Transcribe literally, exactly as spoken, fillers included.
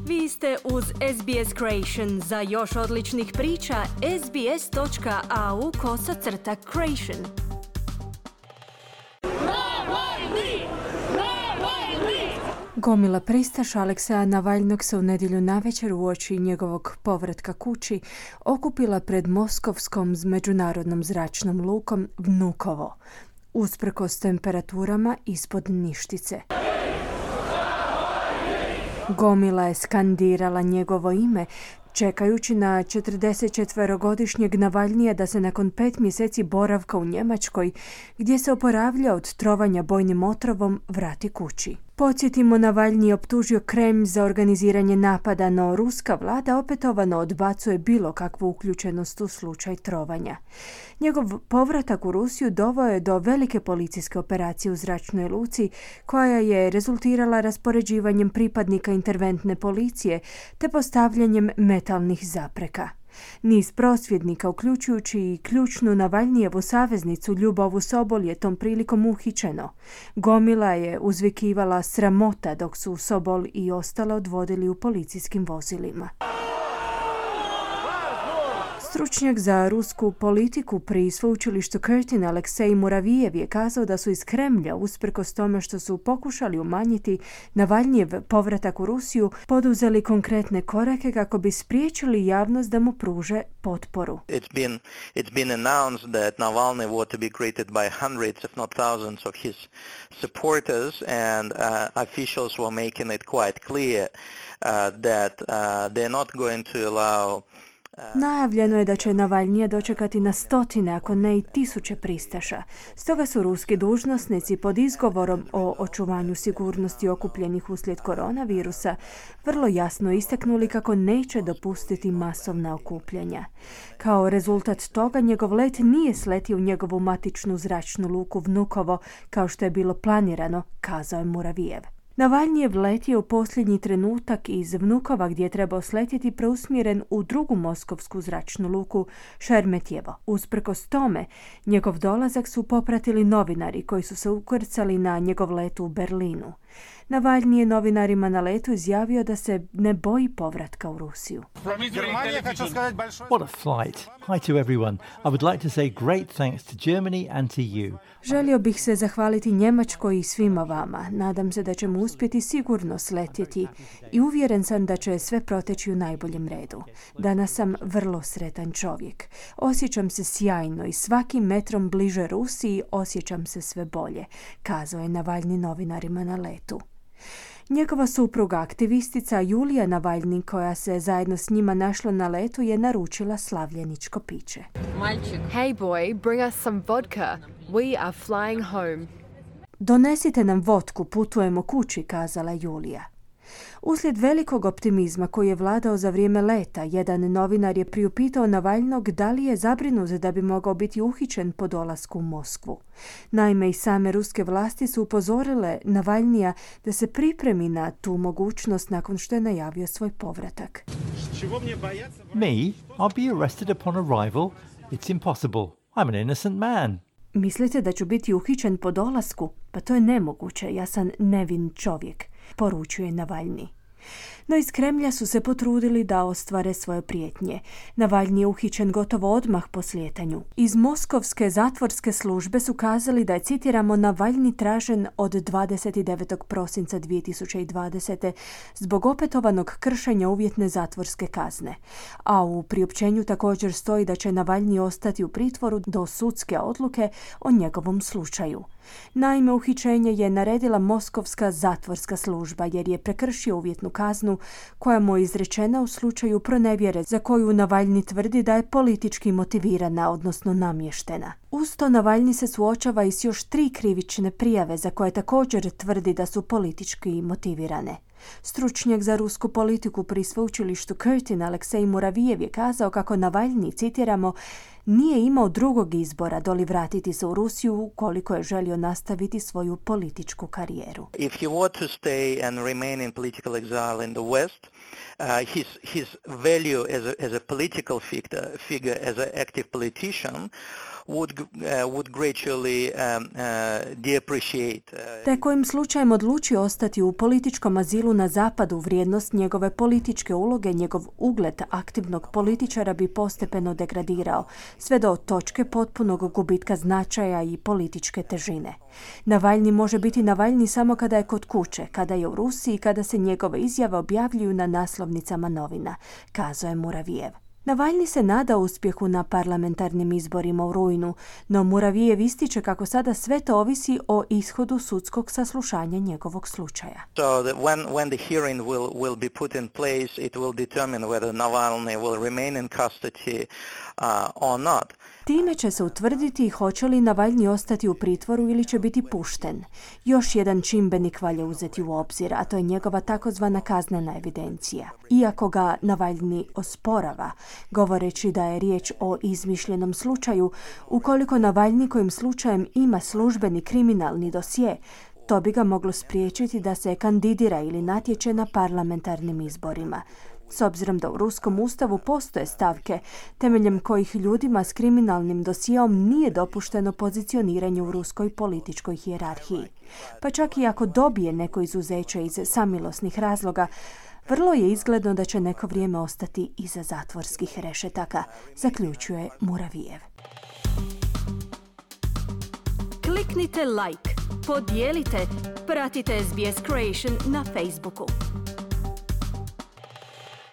Vi ste uz S B S Creation. Za još odličnih priča, sbs.au kosacrta creation. Gomila pristaša Alekseja Navalnog se u nedjelju navečer uoči njegovog povratka kući okupila pred moskovskom međunarodnom zračnom lukom Vnukovo, usprkos temperaturama ispod ništice. Gomila je skandirala njegovo ime, čekajući na četrdesetčetverogodišnjeg Navalnija da se nakon pet mjeseci boravka u Njemačkoj, gdje se oporavlja od trovanja bojnim otrovom, vrati kući. Podsjetimo, Navalnij je optužio Kremlj za organiziranje napada, no ruska vlada opetovano odbacuje bilo kakvu uključenost u slučaj trovanja. Njegov povratak u Rusiju doveo je do velike policijske operacije u zračnoj luci, koja je rezultirala raspoređivanjem pripadnika interventne policije te postavljanjem metalnih zapreka. Niz prosvjednika, uključujući i ključnu Navalnijevu saveznicu Ljubovu Sobol, je tom prilikom uhićeno. Gomila je uzvikivala sramota dok su Sobol i ostale odvodili u policijskim vozilima. Stručnjak za rusku politiku pri sveučilištu Curtin Aleksej Muravijev je kazao da su iz Kremlja, usprkos tome što su pokušali umanjiti Navalnjev povratak u Rusiju, poduzeli konkretne korake kako bi spriječili javnost da mu pruže potporu. It's been, it's been announced that Navalny was to be greeted by hundreds, if not thousands, of his supporters, and uh, officials were making it quite clear uh, that uh, they're not going to allow. Najavljeno je da će Navalnija dočekati na stotine, ako ne i tisuće pristaša. Stoga su ruski dužnosnici pod izgovorom o očuvanju sigurnosti okupljenih uslijed koronavirusa vrlo jasno istaknuli kako neće dopustiti masovna okupljanja. Kao rezultat toga, njegov let nije sletio u njegovu matičnu zračnu luku Vnukovo, kao što je bilo planirano, kazao je Muravijev. Navalnjev let je u posljednji trenutak iz Vnukova, gdje je trebao sletjeti, preusmjeren u drugu moskovsku zračnu luku Šeremetjevo. Usprkos tome, njegov dolazak su popratili novinari koji su se ukrcali na njegov let u Berlinu. Navalnij je novinarima na letu izjavio da se ne boji povratka u Rusiju. What a flight. Hi to everyone. I would like to say great thanks to Germany and to you. Želio bih se zahvaliti Njemačkoj i svima vama. Nadam se da ćemo uspjeti sigurno sletjeti i uvjeren sam da će sve proteći u najboljem redu. Danas sam vrlo sretan čovjek. Osjećam se sjajno i svakim metrom bliže Rusiji osjećam se sve bolje, kazao je Navalnij novinarima na letu. Njegova supruga, aktivistica Julija Navalnij, koja se zajedno s njima našla na letu, je naručila slavljeničko piće. Hey boy, bring us some vodka. We are flying home. Donesite nam vodku, putujemo kući, kazala Julija. Uslijed velikog optimizma koji je vladao za vrijeme leta, jedan novinar je priupitao Navalnog da li je zabrinut da bi mogao biti uhićen po dolasku u Moskvu. Naime, i same ruske vlasti su upozorile Navalnija da se pripremi na tu mogućnost nakon što je najavio svoj povratak. Me? I'll be arrested upon arrival? It's impossible. I'm an innocent man. Mislite da ću biti uhićen po dolasku? Pa to je nemoguće, ja sam nevin čovjek, poručuje Navalnij. No iz Kremlja su se potrudili da ostvare svoje prijetnje. Navalnij je uhićen gotovo odmah po slijetanju. Iz moskovske zatvorske službe su kazali da je, citiramo, Navalnij tražen od dvadeset devetog prosinca dvije tisuće dvadesete zbog opetovanog kršenja uvjetne zatvorske kazne. A u priopćenju također stoji da će Navalnij ostati u pritvoru do sudske odluke o njegovom slučaju. Naime, uhićenje je naredila moskovska zatvorska služba jer je prekršio uvjetnu kaznu koja mu je izrečena u slučaju pronevjere za koju Navalnij tvrdi da je politički motivirana, odnosno namještena. Uz to Navalnij se suočava i s još tri krivične prijave za koje također tvrdi da su politički motivirane. Stručnjak za rusku politiku pri sveučilištu Curtin Aleksej Muravijev je kazao kako Navalnij, citiramo, nije imao drugog izbora doli vratiti se u Rusiju ukoliko je želio nastaviti svoju političku karijeru. If he were to stay and remain in political exile in the West, uh, his his value as a as a political figure, figure as an active politician would uh, would gradually um, uh, depreciate. Uh, Te kojim slučajem odlučio ostati u političkom azilu na zapadu, vrijednost njegove političke uloge, njegov ugled aktivnog političara bi postepeno degradirao, sve do točke potpunog gubitka značaja i političke težine. Navalni može biti Navalni samo kada je kod kuće, kada je u Rusiji, kada se njegove izjave objavljuju na naslovnicama novina, kazao je Muravijev. Navalni se nada uspjehu na parlamentarnim izborima u rujnu, no Muravijev ističe kako sada sve to ovisi o ishodu sudskog saslušanja njegovog slučaja. So that when when the hearing will will be put in place, it will determine whether Navalny will remain in custody uh, or not. Time će se utvrditi hoće li Navalni ostati u pritvoru ili će biti pušten. Još jedan čimbenik valja uzeti u obzir, a to je njegova takozvana kaznena evidencija. Iako ga Navalni osporava, govoreći da je riječ o izmišljenom slučaju, ukoliko Navalni kojim slučajem ima službeni kriminalni dosje, to bi ga moglo spriječiti da se kandidira ili natječe na parlamentarnim izborima. S obzirom da u ruskom ustavu postoje stavke temeljem kojih ljudima s kriminalnim dosijeom nije dopušteno pozicioniranje u ruskoj političkoj hijerarhiji. Pa čak i ako dobije neko izuzeće iz samilosnih razloga, vrlo je izgledno da će neko vrijeme ostati iza zatvorskih rešetaka, zaključuje Muravijev. Kliknite like, podijelite, pratite S B S Creation na Facebooku.